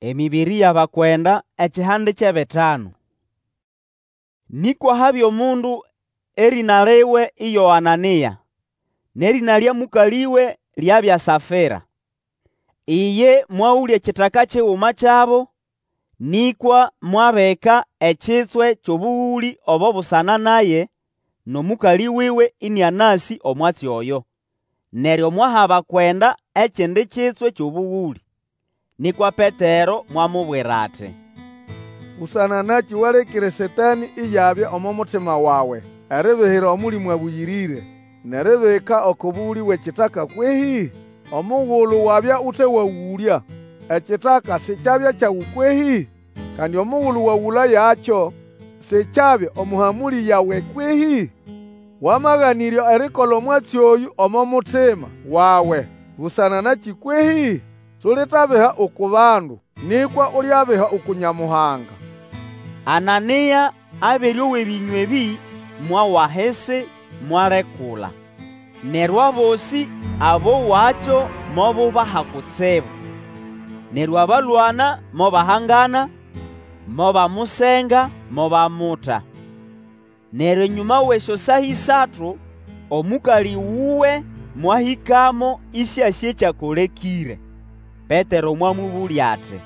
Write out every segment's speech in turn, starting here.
Emĩbĩrĩ y'Abakwenda ekihande ky'ebitanu. Nĩkwa habya omundu erĩna liwe iyo Anania, n'erĩna lya mũkalĩwe lyabya Safĩra. Iye mwagũlya ekitaka kiguma kyabo, nĩkwa mwabika ekitswe ky'obũgũlĩ obo busana naye n'omũkalĩ wuwe ĩnĩanasĩ omwatsi oyo. Neryo mwaha abakwenda ekindi kitswe ky'obũgũlĩ. Nĩkwa Petero mwamubwira ati, Busana nakĩ walekĩre Satanĩ iyabya omo mutima wawe eribihira Omũlĩmũ Abũyĩrĩre, n'eribika oko bũgũlĩ bw'ekitaka kwehĩ? Omugulu wabya ute wagũlya, ekitaka sikyabya kyawe kwehĩ? Kandi omugulu wagũlayakyo, sikyabya omo hamũlĩ yawe kwehĩ? Wamaganĩrya erikola omwatsi oyũ omo mutima wawe busana nakĩ kwehĩ? Sulitabiha uku bandu, nĩkwa ulyabiha uku Nyamuhanga. Anania abere owa ebĩnywa ebĩ, mwawa ahisi, mwalekula. Neryo abosĩ abowakyo mobubaha kutsibu. Neryo abalwana mobahangana, mobamusenga mobamuta. Neryo enyũma w'esyosaa ĩsatu, omũkalĩ wuwe mwahĩkamo ĩsĩasĩ ekyakolekĩre. Petero mwamũbũlya ati,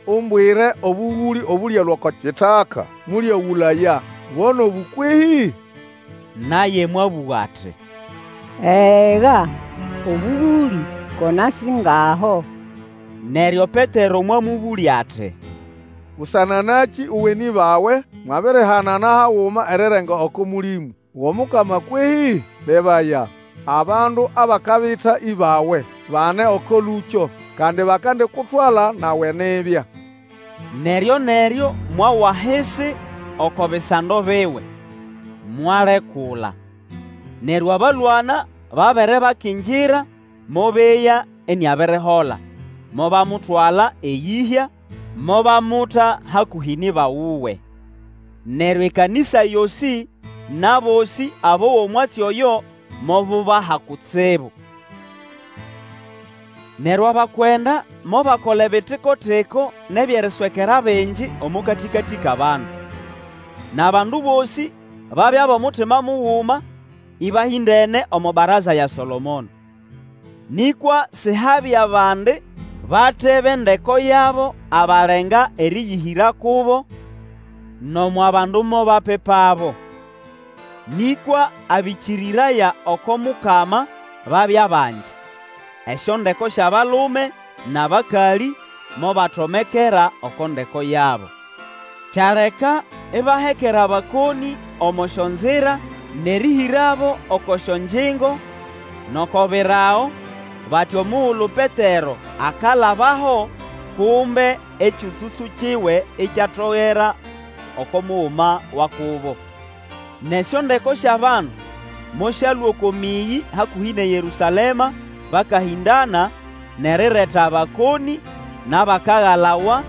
Umbwire obũgũlĩ obũlyalũa oko kitaka mũlyagũlaya, bo n'obũ kwehĩ? Naye mwabũga ati, Ega, obũgũlĩ ko nasĩ ngaho. Neryo Petero mwamũbũlya ati, Busana nakĩ uwe n'ĩbawe mwabirihanana haguma erirenga oko Mũlĩmũ w'Omukama kwehĩ? Lebaya, abandu abakabita ĩbawe bane oko lũkyo, kandi bakandikutwala nawe nibya. Neryo-neryo mwawa ahisi oko bisando biwe, mwalekula. Neryo abalwana babere bakingira, mobeya iniabirihola, mobamutwala eyĩhya, mobamuta hakũhĩ n'ĩba wuwe. Neryo ekanĩsa yosĩ n'abosĩ abowa omwatsi oyo mobubaha kutsibu. Neryo abakwenda mobakola ebitiko-tiko n'eby'eriswekera bingi omo katĩkatĩ k'abandu. N'abandu bosĩ babya b'omutima muguma, ĩbahĩndene omo baraza ya Solomono. Nĩkwa Sihabya bandi bate b'endeko yabo abalenga erĩyĩhĩra kubo, nomo abandu mobapipabo. Nĩkwa abĩkĩrĩraya oko Mukama babya bangi, esyondeko sy'abalume n'abakalĩ mobatomekera oko ndeko yabo. Kyaleka ibahekera abakonĩ omo syonzira n'erĩhĩrabo oko syongyingo n'oko birago, bati omugulu Petero akalabaho, kumbe ekyũtsũtsũ kiwe ikyatogera oko muguma wa kubo. N'esyondeko sy'abandu mosyalũa oko mĩyĩ hakũhĩ n'eYerũsalema bakahĩndana n'erireta abakonĩ n'abakagalawa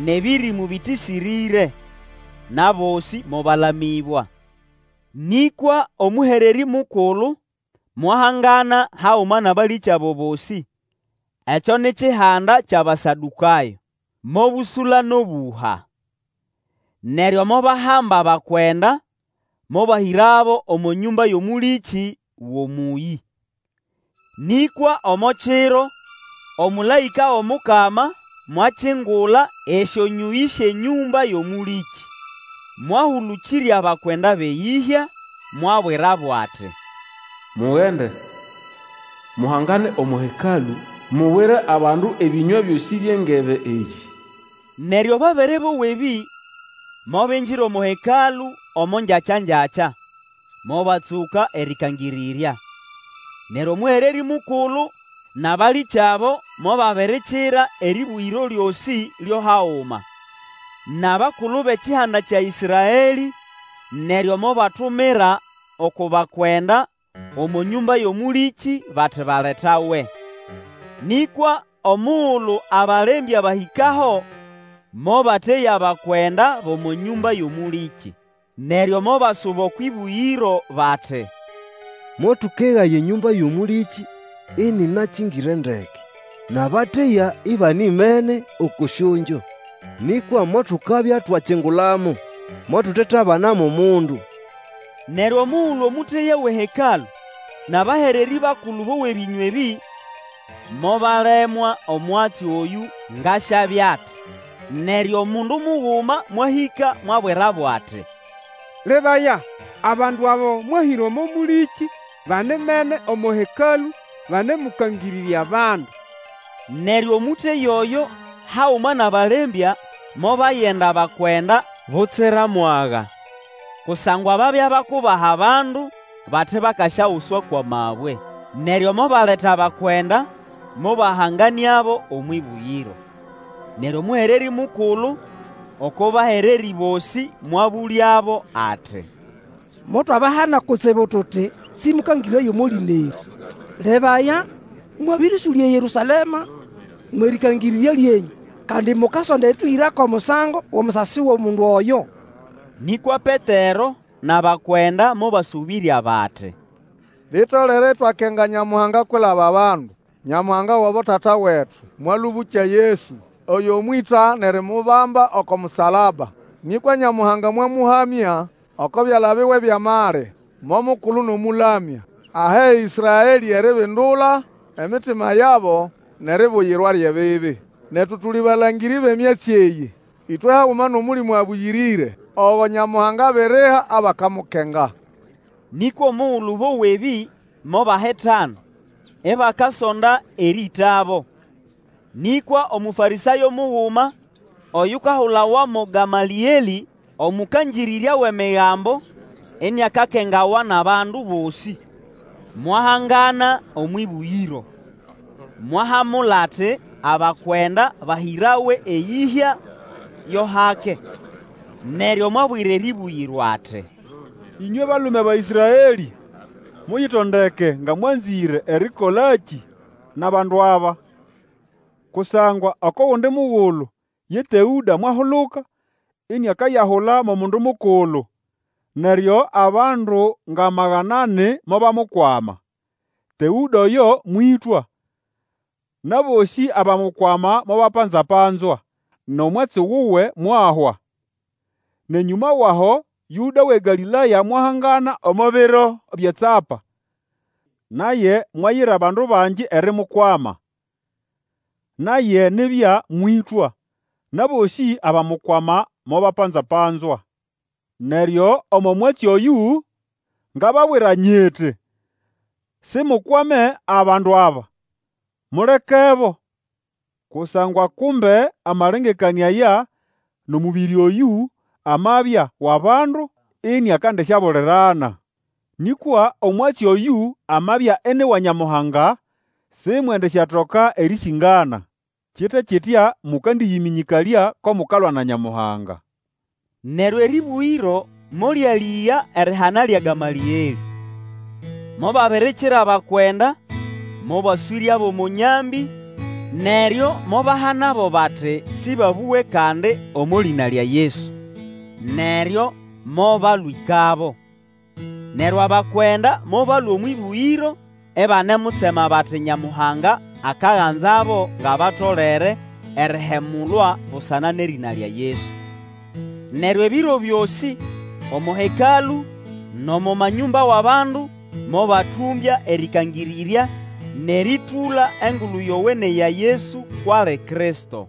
n'ebĩrĩmũ bĩtĩsĩrĩre, n'abosĩ mobalamĩbwa. Nĩkwa omũhererĩ mukulu mwahangana haguma n'abalĩkyabo bosĩ, ekyo ni kihanda ky'Abasadũkayo, mobũsũla n'obũha. Neryo mobahamba abakwenda, mobahĩrabo omo nyũmba y'omũlĩkĩ w'omũyĩ. Nĩkwa omo kiro, omũlaĩka w'Omukama mwakingula esyonyũyĩ sy'enyũmba y'omũlĩkĩ, mwahũlũkĩrya abakwenda b'eyĩhya, mwabwirabo ati, Mugende, muhangane omo Hekalũ, mubwire abandu ebĩnywa byosĩ by'engebe eyĩ. Neryo babere bowa ebĩ, mobingira omo Hekalũ omo ngyakya-ngyakya, mobatsũka erĩkangĩrĩrya. Neryo omũhererĩ mukulu n'abalĩkyabo mobabirikira erĩbũgĩro lyosĩ lyo haguma, n'abakulu b'ekihanda kya Ĩsraelĩ, neryo mobatumira oko bakwenda omo nyũmba y'omũlĩkĩ bati baletawe. Nĩkwa omugulu abalembya bahĩkaho, mobateya abakwenda b'omo nyũmba y'omũlĩkĩ. Neryo mobasuba okw'ĩbũgĩro bati, Motũkegaya enyũmba y'omũlĩkĩ ĩnĩnakĩngĩre ndeke. n'abateya ĩbanimene oko syongyo. Nĩkwa motukabya twakingulamo, motutetabana mo mundu. Neryo omugulu omũteya w'eHekalũ n'abahererĩ bakulu bowa ebĩnywa ebĩ, mobalemwa omwatsi oyũ ng'asyabya ati. Neryo omundu muguma mwahĩka mwabwirabo ati, Lebaya, abandu abo mwahĩra omo mũlĩkĩ banimene omo Hekalũ banemũkangĩrĩrya abandu. Neryo omũteya oyo haguma n'abalembya mobayenda abakwenda butsira mwaga, kusangwa babya bakubaha abandu bati bakasyaguswa kw'amabwe. Neryo mobaleta abakwenda, mobahanganĩabo omw'ĩbũgĩro. Neryo omũhererĩ mukulu oko bahererĩ bosĩ mwabũlyabo ati, Motwabahana kutsibu tuti, Sĩmũkangĩrĩraye omo lĩna erĩ. Lebaya, mwabĩrĩsũlya eYerũsalema mw'erĩkangĩrĩrya lyenyũ, kandi mukasonda erĩtũhĩra k'omusango w'omusasi w'omundu oyo. Nĩkwa Petero n'abakwenda mobasũbĩrya bati, Litolere itwakenga Nyamuhanga kwilaba abandu. Nyamuhanga w'abotata wetu mwalũbũkya Yesu, oyo mwĩta n'erimubamba oko musalaba. Nĩkwa Nyamuhanga mwamũhamya oko byala biwe by'amali, mo Mukulu n'Omũlamya, ahe Ĩsraelĩ eribindula emitima yabo n'eribuyirwa ly'ebibi. Netu tuli balangĩrĩ b'emyatsi eyĩ, ĩtwe haguma n'Omũlĩmũ Abũyĩrĩre, ogo Nyamuhanga abiriha abakamukenga. Nĩkwa omugulu bowa ebĩ, mobahitana, ibakasonda erĩĩtabo. Nĩkwa Omũfarĩsayo muguma, oyukahulawa mo Gamalĩelĩ, omũkangĩrĩrya w'Emigambo, iniakakengawa n'abandu bosĩ, mwahangana omw'ĩbũgĩro. Mwahamula ati abakwenda bahĩrawe eyĩhya yo hake. Neryo mwabwira erĩbũgĩro ati, Ĩnywe balume ba Ĩsraelĩ, muyitondeke nga mwanzĩre erĩkolakĩ n'abandu aba. Kusangwa oko gundi mugulu ye Teũda mwahuluka, iniakayahula mo mundu mukulu, neryo abandu ng'amagana ani mobamukwama. Teũda oyo mwĩtwa, n'abosĩ abamukwama mobapanza-panzwa, n'omwatsi wuwe mwahwa. N'enyũma w'aho Yũda w'eGalĩlaya mwahangana omo biro by'eTsapa, naye mwayira abandu bangi erimukwama. Naye nibya mwĩtwa, n'abosĩ abamukwama mobapanza-panzwa. Neryo omo mwatsi oyũ, ngababwira nyiti, Simukwame abandu aba, mulekebo. Kusangwa kumbe amalengekanĩa aya n'omũbĩrĩ oyũ amabya w'abandu, iniakandisyabulirana. Nĩkwa omwatsi oyũ amabya ini wa Nyamuhanga, simwendisyatoka erĩsĩngana. Kite kitya mũkandĩyĩmĩnyĩkalya ko mukalwa na Nyamuhanga. Neryo erĩbũgĩro molyalĩga erihana lya Gamalĩelĩ. Mobabirikira abakwenda, mobaswĩryabo omo nyambĩ, neryo mobahanabo bati sĩbabũge kandi omo lĩna lya Yesu. Neryo mobalwĩkabo. Neryo abakwenda mobalũa omw'ĩbũgĩro ibanemutsema bati Nyamuhanga akaganzabo ng'abatolere erihemulwa busana n'erĩna lya Yesu. Neryo ebiro byosĩ omo Hekalũ n'omo manyũmba w'abandu mobatũmbya erĩkangĩrĩrya n'erĩtũla Engulu Yowene ya Yesu kw'ali Kristo.